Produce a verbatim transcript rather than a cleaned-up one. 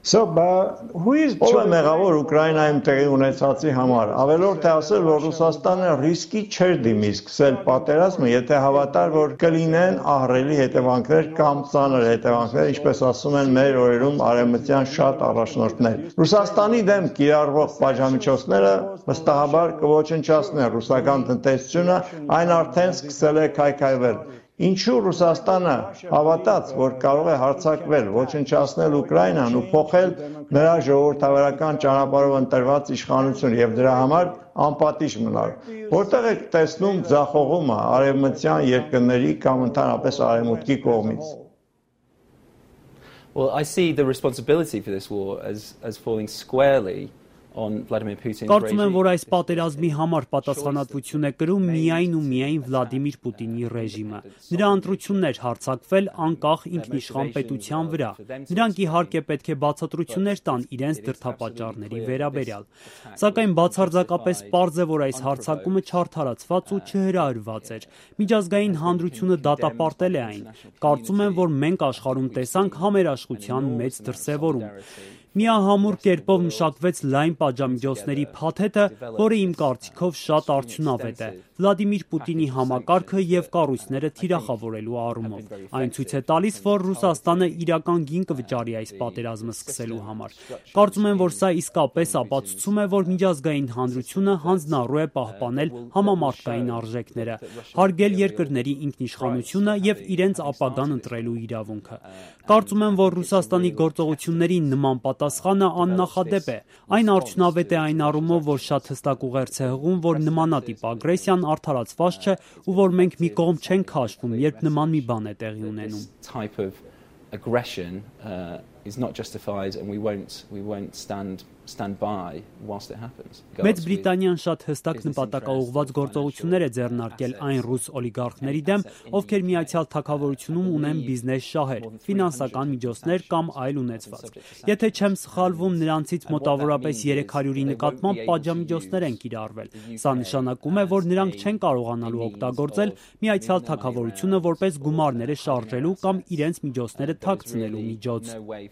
So, but who is Ով է մեղավոր Ուկրաինայում տեղի ունեցածի համար։ Ավելորդ է ասել, որ Ռուսաստանը ռիսկի չէր դիմի սկսել պատերազմը, եթե հավատար, որ կլինեն ահռելի հետևանքներ կամ ծանր հետևանքներ, ինչպես ասում են մեր օրերում արևմտյան շատ առաջնորդներ։ Ռուսաստանի դեմ կիրառվող պատժամիջոցները վստահաբար կոչնչացնեն ռուսական տնտեսությունը, այն արդեն սկսել է քայքայվել։ Ինչու Ռուսաստանը հավատաց, որ կարող է հարձակվել, ոչնչացնել Ուկրաինան ու փոխել նրա ժողովրդավարական ճանապարհով ընտրված իշխանությունը եւ դրա համար անպատիժ մնալ։ Որտեղ եք տեսնում ձախողումը արևմտյան երկրների կամ ընդհանրապես արևմուտքի կողմից։ Well, I see the responsibility for this war as as falling squarely on Vladimir Putin's Կարծում եմ, որ այս պատերազմի համար պատասխանատվություն է կրում միայն ու միայն Վլադիմիր Պուտինի ռեժիմը։ Նրա ընտրությունն էր հարձակվել անկախ ինքնիշխան պետության վրա։ Նրանք իհարկե պետք է բացատրություններ տան իրենց դրդապատճառների վերաբերյալ։ Սակայն բացարձակապես պարզ է, որ այս հարձակումը չարդարացված ու չհրահրված էր։ Միջազգային հանրությունը դատապարտել է այն։ Կարծում եմ, որ մենք աշխարհում տեսանք համերաշխության մեծ դրսևորում։ Միահամուռ կերպով մշակվեց լայն պատժամիջոցների փաթեթը, որը իմ կարծիքով շատ արդյունավետ է Վլադիմիր Պուտինի համակարգը եւ կառույցները թիրախավորելու առումով։ Այն ցույց է տալիս, որ Ռուսաստանը իրական գին կվճարի այս պատերազմը սկսելու համար։ Կարծում եմ, որ սա իսկապես ապացուցում է, որ միջազգային հանրությունը հանձնառու է պահպանել համամարտկային արժեքները, հարգել երկրների ինքնիշխանությունը եւ իրենց ապագան ընտրելու իրավունքը։ Կարծում եմ, որ Ռուսաստանի գործողություններին նման պատասխանը աննախադեպ է։ Այն արդյունավետ է այն առումով, որ շատ հստակ ուղերձ է հղում, որ նմանատիպ ագրեսիան արդարացված չէ ու որ մենք մի կողմ չենք քաշվում, երբ նման մի բան է տեղի ունենում։ Aggression uh, is not justified and we won't we won't stand stand by whilst it happens. Մեծ Բրիտանիան շատ հստակ նպատակաուղղված գործողություններ է ձեռնարկել այն ռուս օլիգարխների դեմ, ովքեր Միացյալ Թագավորությունում ունեն բիզնես շահեր, ֆինանսական միջոցներ կամ այլ ունեցվածք։ Եթե չեմ սխալվում, նրանցից մոտավորապես երեք հարյուրի նկատմամբ պատժամիջոցներ են կիրառվել։ Սա նշանակում է, որ նրանք չեն կարողանալու օգտագործել Միացյալ Թագավորությունը որպես գումարները շարժելու կամ իրենց միջոցները թաքցնելու միջոց։